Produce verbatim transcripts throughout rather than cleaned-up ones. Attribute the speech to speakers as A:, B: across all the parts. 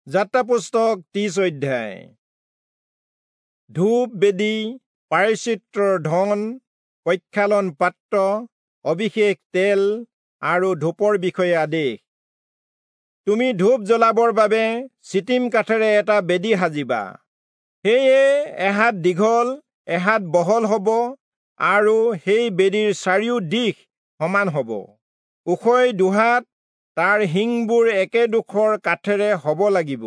A: যাত্ৰা পুস্তক ত্ৰিশ অধ্যায়। ধূপ বেদী, প্ৰায়শ্চিত্তৰ ধন, প্ৰক্ষালন পাত্ৰ, অভিষেক তেল আৰু ধূপৰ বিষয়ে আদেশ। তুমি ধূপ জ্বলাবৰ বাবে চিটিম কাঠেৰে এটা বেদী সাজিবা। সেয়ে এহাত দীঘল এহাত বহল হ'ব আৰু সেই বেদীৰ চাৰিও দিশ সমান হ'ব। ওখই দুহাত, তাৰ শিংবোৰ একেডোখৰ কাঠেৰে হ'ব লাগিব।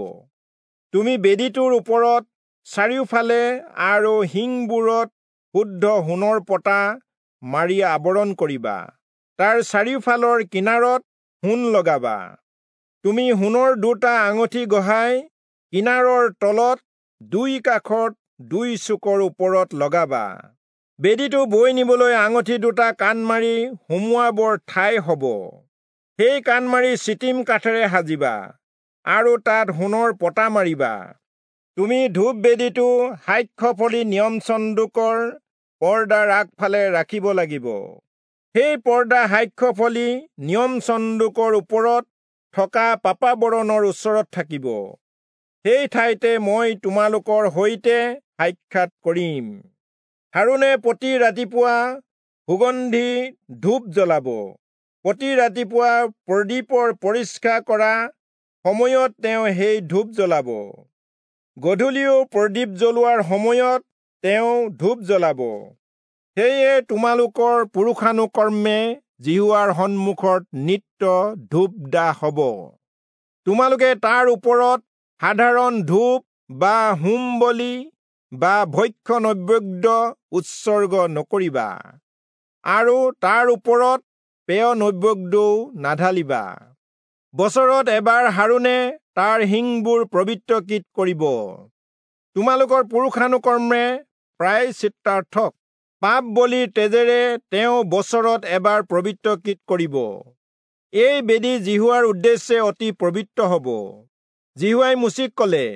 A: তুমি বেদীটোৰ ওপৰত চাৰিওফালে আৰু শিংবোৰত শুদ্ধ সোণৰ পতা মাৰি আৱৰণ কৰিবা। তাৰ চাৰিওফালৰ কিনাৰত সোণ লগাবা। তুমি সোণৰ দুটা আঙুঠি গঢ়াই কিনাৰৰ তলত দুই কাষত দুই চুকৰ ওপৰত লগাবা। বেদীটো বৈ নিবলৈ আঙুঠি দুটা কাণমাৰি সুমুৱাবৰ ঠাই হ'ব। সেই কাণমাৰি চিটিম কাঠেৰে সাজিবা আৰু তাত সোণৰ পতা মাৰিবা। তুমি ধূপ বেদীটো সাক্ষ্যফলি নিয়ম চন্দুকৰ পৰ্দাৰ আগফালে ৰাখিব লাগিব। সেই পৰ্দা সাক্ষ্যফলি নিয়ম চন্দুকৰ ওপৰত থকা পাপাবৰণৰ ওচৰত থাকিব। সেই ঠাইতে মই তোমালোকৰ সৈতে সাক্ষাৎ কৰিম। হাৰোণে প্ৰতি ৰাতিপুৱা সুগন্ধি ধূপ জ্বলাব। প্ৰতি ৰাতিপুৱা প্ৰদীপৰ পৰিষ্কাৰ কৰা সময়ত তেওঁ সেই ধূপ জ্বলাব। গধূলিও প্ৰদীপ জ্বলোৱাৰ সময়ত তেওঁ ধূপ জ্বলাব। সেয়ে তোমালোকৰ পুৰুষানুকৰ্মে যিহোৱাৰ সন্মুখত নিত্য ধূপ দাহ হ'ব। তোমালোকে তাৰ ওপৰত সাধাৰণ ধূপ বা হোম বলি বা ভক্ষ্য নৈবেদ্য উৎসৰ্গ নকৰিবা আৰু তাৰ ওপৰত পেয় নৈবেদ্যও নাঢালিবা। বছৰত এবাৰ হাৰোণে তাৰ শিংবোৰ পবিত্ৰকৃত কৰিব। তোমালোকৰ পুৰুষানুকৰ্মে প্ৰায়শ্চিত্তাৰ্থক পাপ বলিৰ তেজেৰে তেওঁ বছৰত এবাৰ পবিত্ৰকৃত কৰিব। এই বেদী যিহোৱাৰ উদ্দেশ্যে অতি পবিত্ৰ হ'ব। যিহোৱাই মোচিক ক'লে,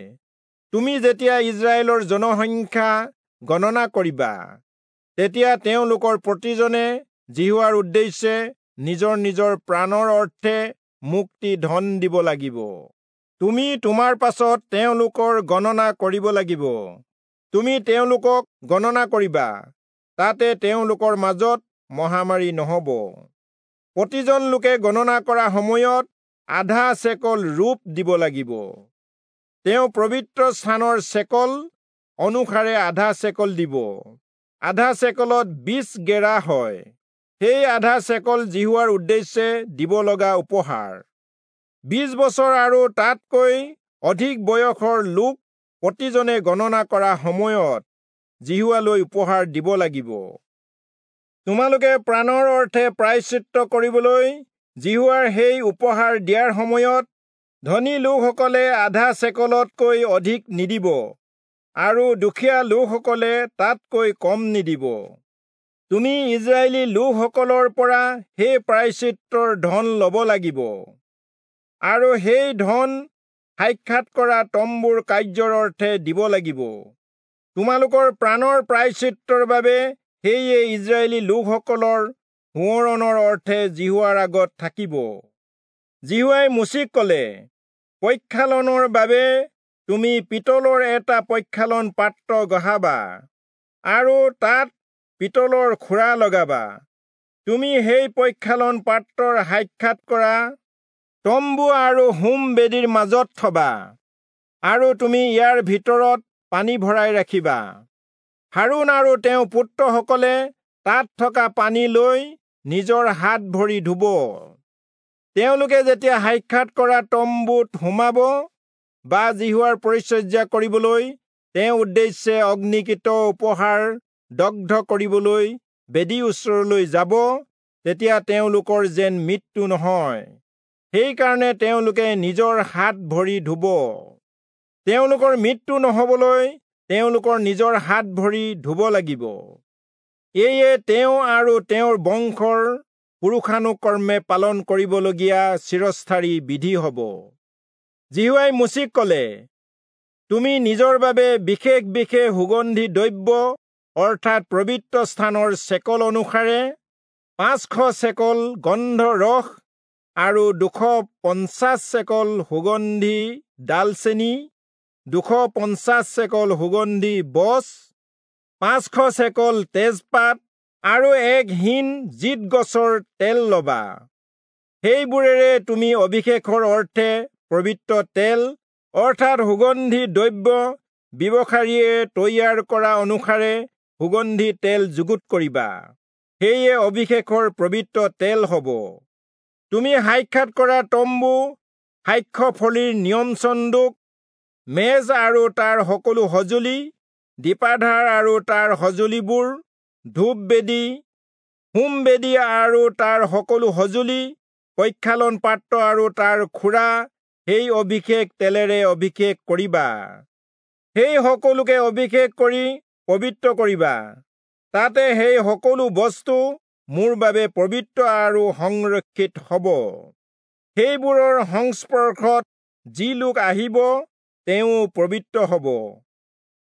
A: তুমি যেতিয়া ইস্ৰায়েলৰ জনসংখ্যা গণনা কৰিবা, তেতিয়া তেওঁলোকৰ প্ৰতিজনে যিহোৱাৰ উদ্দেশ্যে নিজৰ নিজৰ প্ৰাণৰ অৰ্থে মুক্তি ধন দিব লাগিব। তুমি তোমাৰ পাছত তেওঁলোকৰ গণনা কৰিব লাগিব। তুমি তেওঁলোকক গণনা কৰিবা, তাতে তেওঁলোকৰ মাজত মহামাৰী নহ'ব। প্ৰতিজন লোকে গণনা কৰা সময়ত আধা চেকল ৰূপ দিব লাগিব। তেওঁ পবিত্ৰ স্থানৰ চেকল অনুসাৰে আধা চেকল দিব। আধা চেকলত বিশ গেৰা হয়। সেই আধা চেকল যিহোৱাৰ উদ্দেশ্যে দিব লগা উপহাৰ। বিশ বছৰ আৰু তাতকৈ অধিক বয়সৰ লোক প্ৰতিজনে গণনা কৰা সময়ত যিহোৱালৈ উপহাৰ দিব লাগিব। তোমালোকে প্ৰাণৰ অৰ্থে প্ৰায়শ্চিত্ত কৰিবলৈ যিহোৱাৰ সেই উপহাৰ দিয়াৰ সময়ত ধনী লোকসকলে আধা চেকলতকৈ অধিক নিদিব আৰু দুখীয়া লোকসকলে তাতকৈ কম নিদিব। তুমি ইস্ৰায়েলী লোকসকলৰ পৰা সেই প্ৰায়শ্চিত্তৰ ধন ল'ব লাগিব আৰু সেই ধন সাক্ষাৎ কৰা তম্বুৰ কাৰ্যৰ অৰ্থে দিব লাগিব। তোমালোকৰ প্ৰাণৰ প্ৰায়শ্চিত্তৰ বাবে সেয়ে ইস্ৰায়েলী লোকসকলৰ সোঁৱৰণৰ অৰ্থে যিহোৱাৰ আগত থাকিব। যিহোৱাই মোচিক ক'লে, প্ৰক্ষালনৰ বাবে তুমি পিতলৰ এটা প্ৰক্ষালন পাত্ৰ গঢ়াবা আৰু তাত পিতলৰ খুৰা লগাবা। তুমি সেই প্ৰক্ষালন পাত্ৰৰ সাক্ষাৎ কৰা তম্বু আৰু হোম বেদীৰ মাজত থবা আৰু তুমি ইয়াৰ ভিতৰত পানী ভৰাই ৰাখিবা। হাৰোণ আৰু তেওঁৰ পুত্ৰসকলে তাত থকা পানী লৈ নিজৰ হাত ভৰি ধুব। তেওঁলোকে যেতিয়া সাক্ষাৎ কৰা তম্বুত সোমাব বা যিহোৱাৰ পৰিচৰ্যা কৰিবলৈ তেওঁৰ উদ্দেশ্যে অগ্নিকৃত উপহাৰ দগ্ধ কৰিবলৈ বেদীৰ ওচৰলৈ যাব, তেতিয়া তেওঁলোকৰ যেন মৃত্যু নহয়, সেইকাৰণে তেওঁলোকে নিজৰ হাত ভৰি ধুব। তেওঁলোকৰ মৃত্যু নহ'বলৈ তেওঁলোকৰ নিজৰ হাত ভৰি ধুব লাগিব। এয়ে তেওঁ আৰু তেওঁৰ বংশৰ পুৰুষানুকৰ্মে পালন কৰিবলগীয়া চিৰস্থায়ী বিধি হ'ব। যিহোৱাই মোচিক ক'লে, তুমি নিজৰ বাবে বিশেষ বিশেষ সুগন্ধি দ্ৰব্য অৰ্থাৎ পবিত্ৰ স্থানৰ চেকল অনুসাৰে পাঁচশ চেকল গন্ধ ৰস আৰু দুশ পঞ্চাছ চেকল সুগন্ধি ডালচেনি, দুশ পঞ্চাছ চেকল সুগন্ধি বচ, পাঁচশ চেকল তেজপাত আৰু এক হিন জিত গছৰ তেল লবা। সেইবোৰেৰে তুমি অভিষেকৰ অৰ্থে পবিত্ৰ তেল অৰ্থাৎ সুগন্ধি দ্ৰব্য ব্যৱসায়ীয়ে তৈয়াৰ কৰা অনুসাৰে সুগন্ধি তেল যুগুত কৰিবা। সেয়ে অভিষেকৰ পবিত্ৰ তেল হ'ব। তুমি সাক্ষাৎ কৰা তম্বু, সাক্ষ্য ফলিৰ নিয়ম চন্দুক, মেজ আৰু তাৰ সকলো সঁজুলি, দীপাধাৰ আৰু তাৰ সঁজুলিবোৰ, ধূপ বেদী, হোম বেদী আৰু তাৰ সকলো সঁজুলি, প্ৰক্ষালন পাত্ৰ আৰু তাৰ খুৰা, সেই অভিষেক তেলেৰে অভিষেক কৰিবা। সেই সকলোকে অভিষেক কৰি পবিত্ৰ কৰিবা। তাতে সেই সকলো বস্তু মোৰ বাবে পবিত্ৰ আৰু সংৰক্ষিত হ'ব। সেইবোৰৰ সংস্পৰ্শত যি লোক আহিব তেওঁ পবিত্ৰ হ'ব।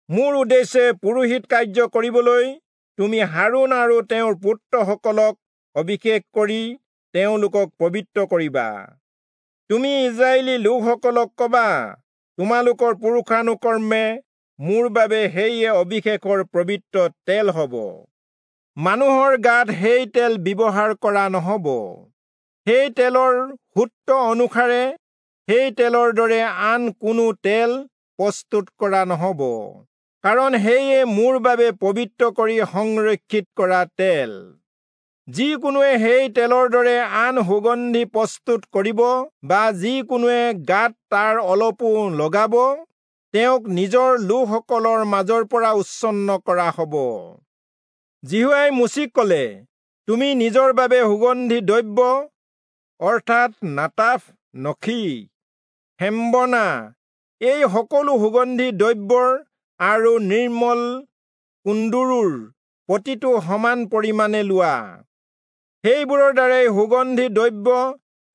A: মোৰ উদ্দেশ্যে পুৰোহিত কাৰ্য কৰিবলৈ তুমি হাৰোণ আৰু তেওঁৰ পুত্ৰসকলক অভিষেক কৰি তেওঁলোকক পবিত্ৰ কৰিবা। তুমি ইজৰাইলী লোকসকলক কবা, তোমালোকৰ পুৰুষানুক্ৰমে মোৰ বাবে সেয়ে অভিষেকৰ পবিত্ৰ তেল হ'ব। মানুহৰ গাত সেই তেল ব্যৱহাৰ কৰা নহ'ব। সেই তেলৰ সূত্ৰ অনুসাৰে সেই তেলৰ দৰে আন কোনো তেল প্ৰস্তুত কৰা নহ'ব, কাৰণ সেয়ে মোৰ বাবে পবিত্ৰ কৰি সংৰক্ষিত কৰা তেল। যিকোনোৱে সেই তেলৰ দৰে আন সুগন্ধি প্ৰস্তুত কৰিব বা যিকোনোৱে গাত তাৰ অলপো লগাব, তেওঁক নিজৰ লোকসকলৰ মাজৰ পৰা উচ্ছন্ন কৰা হ'ব। যিহোৱাই মোচিক ক'লে, তুমি নিজৰ বাবে সুগন্ধি দ্ৰব্য অৰ্থাৎ নাটাফ, নখী, হেম্বনা এই সকলো সুগন্ধি দ্ৰব্যৰ আৰু নিৰ্মল কুন্দুৰুৰ প্ৰতিটো সমান পৰিমাণে লোৱা। সেইবোৰৰ দ্বাৰাই সুগন্ধি দ্ৰব্য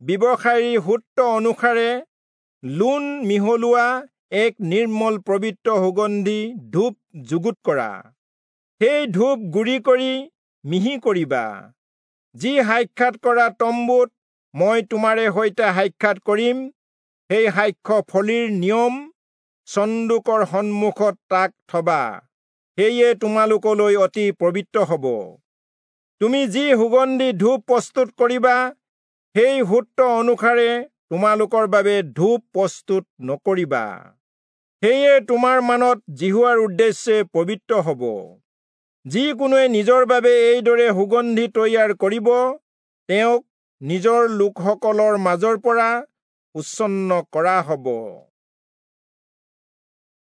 A: ব্যৱসায়ীৰ সূত্ৰ অনুসাৰে লোণ মিহলোৱা এক নিৰ্মল পবিত্ৰ সুগন্ধি ধূপ যুগুত কৰা। সেই ধূপ গুড়ি কৰি মিহি কৰিবা। যি সাক্ষাৎ কৰা তম্বুত মই তোমাৰে সৈতে সাক্ষাৎ কৰিম, সেই সাক্ষ্য ফলিৰ নিয়ম চন্দুকৰ সন্মুখত তাক থবা। সেয়ে তোমালোকলৈ অতি পবিত্ৰ হ'ব। তুমি যি সুগন্ধি ধূপ প্ৰস্তুত কৰিবা, সেই সূত্ৰ অনুসাৰে তোমালোকৰ বাবে ধূপ প্ৰস্তুত নকৰিবা। সেয়ে তোমাৰ মানত যিহোৱাৰ উদ্দেশ্যে পবিত্ৰ হ'ব। যিকোনোৱে নিজৰ বাবে এইদৰে সুগন্ধি তৈয়াৰ কৰিব, তেওঁক নিজৰ লোকসকলৰ মাজৰ পৰা উচ্ছন্ন কৰা হ'ব।